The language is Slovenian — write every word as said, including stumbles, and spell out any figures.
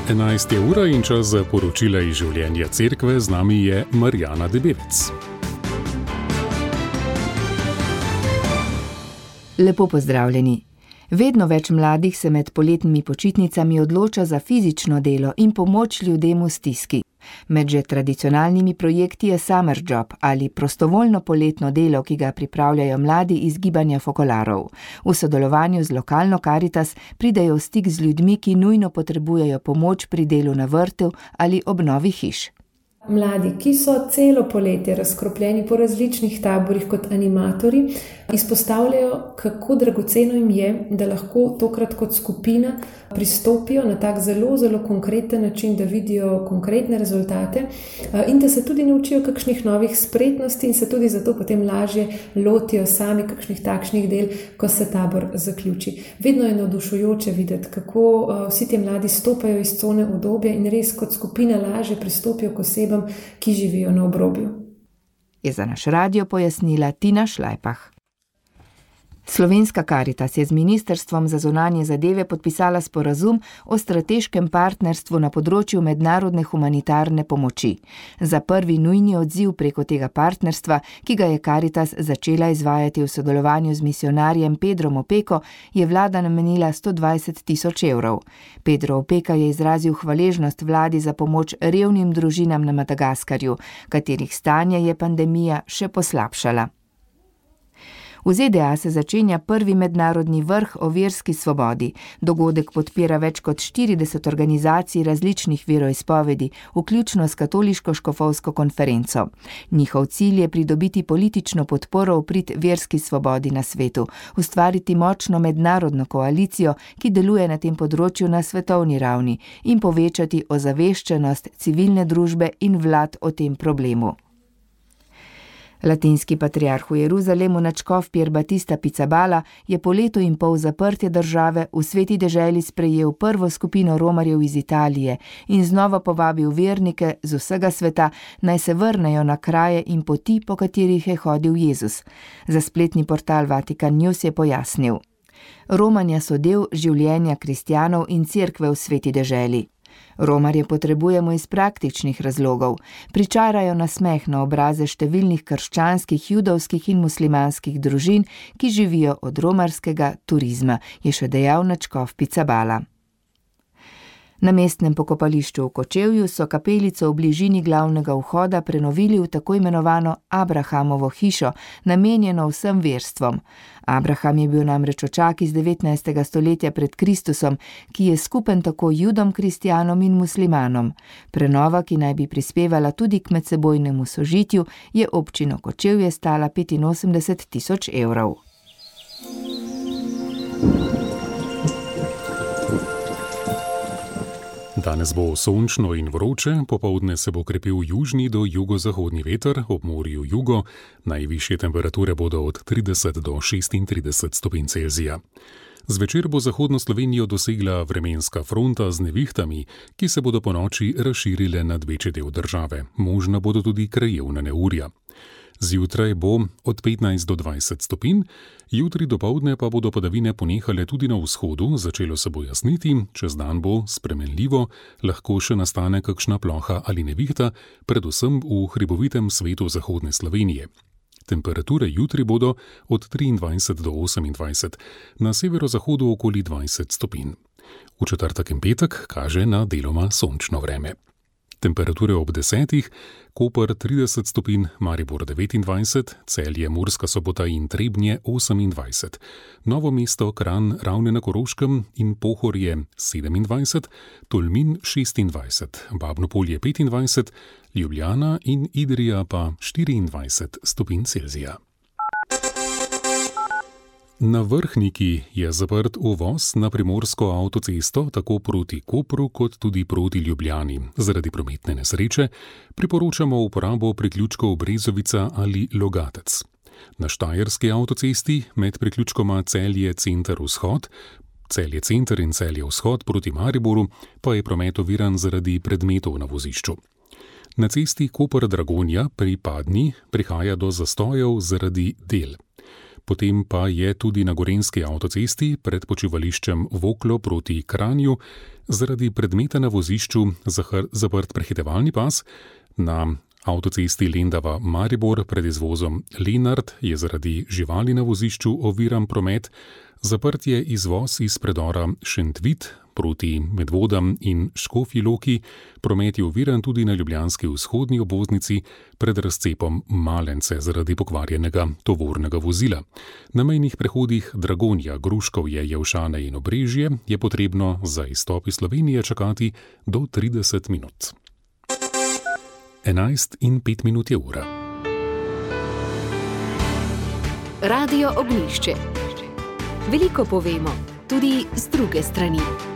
enajst je ura in čas za poročila iz življenja cerkve. Z nami je Marjana Debevec. Lepo pozdravljeni. Vedno več mladih se med poletnimi počitnicami odloča za fizično delo in pomoč ljudem v stiski. Med že tradicionalnimi projekti je Summer Job ali prostovoljno poletno delo, ki ga pripravljajo mladi iz gibanja Fokolarov. V sodelovanju z lokalno Karitas pridejo v stik z ljudmi, ki nujno potrebujejo pomoč pri delu na vrtu ali obnovi hiš. Mladi, ki so celo poletje razkropljeni po različnih taborih kot animatorji, izpostavljajo, kako dragoceno jim je, da lahko tokrat kot skupina pristopijo na tak zelo, zelo konkreten način, da vidijo konkretne rezultate in da se tudi naučijo kakšnih novih spretnosti in se tudi zato potem lažje lotijo sami kakšnih takšnih del, ko se tabor zaključi. Vedno je navdušujoče videti, kako vsi ti mladi stopajo iz cone udobja in res kot skupina lažje pristopijo k osebam, ki živijo na obrobju. Je za naš radio pojasnila Tina Šlajpah. Slovenska Karitas je z Ministrstvom za zunanje zadeve podpisala sporazum o strateškem partnerstvu na področju mednarodne humanitarne pomoči. Za prvi nujni odziv preko tega partnerstva, ki ga je Karitas začela izvajati v sodelovanju z misijonarjem Pedrom Opeko, je vlada namenila sto dvajset tisoč evrov. Pedro Opeka je izrazil hvaležnost vladi za pomoč revnim družinam na Madagaskarju, katerih stanje je pandemija še poslabšala. V Z D A se začenja prvi mednarodni vrh o verski svobodi. Dogodek podpira več kot štirideset organizacij različnih veroizpovedi, vključno s katoliško škofovsko konferenco. Njihov cilj je pridobiti politično podporo v prid verski svobodi na svetu, ustvariti močno mednarodno koalicijo, ki deluje na tem področju na svetovni ravni, in povečati ozaveščenost civilne družbe in vlad o tem problemu. Latinski patriarh v Jeruzalemu nadškof Pier Battista Pizzaballa je po letu in pol zaprtja države v Sveti deželi sprejel prvo skupino romarjev iz Italije in znova povabil vernike z vsega sveta, naj se vrnejo na kraje in poti, po katerih je hodil Jezus. Za spletni portal Vatikan News je pojasnil: Romanja so del življenja kristjanov in cerkve v Sveti deželi. Romarje potrebujemo iz praktičnih razlogov. Pričarajo nasmeh na obraze številnih krščanskih, judovskih in muslimanskih družin, ki živijo od romarskega turizma, je še dejal nadškof Pizzaballa. Na mestnem pokopališču v Kočevju so kapelico v bližini glavnega vhoda prenovili v tako imenovano Abrahamovo hišo, namenjeno vsem verstvom. Abraham je bil namreč očak iz devetnajstega stoletja pred Kristusom, ki je skupen tako judom, kristjanom in muslimanom. Prenova, ki naj bi prispevala tudi k medsebojnemu sožitju, je občino Kočevje stala petinosemdeset tisoč evrov. Danes bo sončno in vroče, popoldne se bo krepil južni do jugozahodni veter, ob morju jugo, najvišje temperature bodo od trideset do šestintrideset stopinj Celzija. Zvečer bo zahodno Slovenijo dosegla vremenska fronta z nevihtami, ki se bodo ponoči razširile nad večji del države. Možna bodo tudi krajevna neurja. Zjutraj bo od petnajst do dvajset stopinj, jutri dopoldne pa bodo padavine ponehale tudi na vzhodu, začelo se bo jasniti, čez dan bo spremenljivo, lahko še nastane kakšna ploha ali nevihta, predvsem v hribovitem svetu zahodne Slovenije. Temperature jutri bodo od triindvajset do osemindvajset, na severozahodu okoli dvajset stopinj. V četrtek in petek kaže na deloma sončno vreme. Temperature ob desetih, Koper trideset stopinj, Maribor devetindvajset, Celje, Murska Sobota in Trebnje osemindvajset, Novo mesto, Kranj, Ravne na Koroškem in Pohorje sedemindvajset, Tolmin šestindvajset, Babno Polje petindvajset, Ljubljana in Idrija pa štiriindvajset stopinj Celzija. Na Vrhniki je zaprt uvoz na primorsko avtocesto tako proti Kopru kot tudi proti Ljubljani. Zaradi prometne nesreče priporočamo uporabo priključkov Brezovica ali Logatec. Na Štajerski avtocesti med priključkoma Celje Center Vzhod, Celje Center in Celje Vzhod proti Mariboru pa je promet oviran zaradi predmetov na vozišču. Na cesti Koper-Dragonja pri Padni prihaja do zastojev zaradi del. Potem pa je tudi na gorenjski avtocesti pred počivališčem Voklo proti Kranju zaradi predmeta na vozišču zaprt prehitevalni pas. Na avtocesti Lendava-Maribor pred izvozom Lenart je zaradi živali na vozišču oviran promet. Zaprt je izvoz iz predora Šentvid proti Medvodam in Škofji Loki. Promet je oviran tudi na ljubljanski vzhodni obvoznici pred razcepom Malence zaradi pokvarjenega tovornega vozila. Na mejnih prehodih Dragonja, Gruškovje, Jelšane in Obrežje je potrebno za izstop iz Slovenije čakati do trideset minut. enajst in pet minut je ura. Radio Ognjišče. Veliko povemo, tudi z druge strani.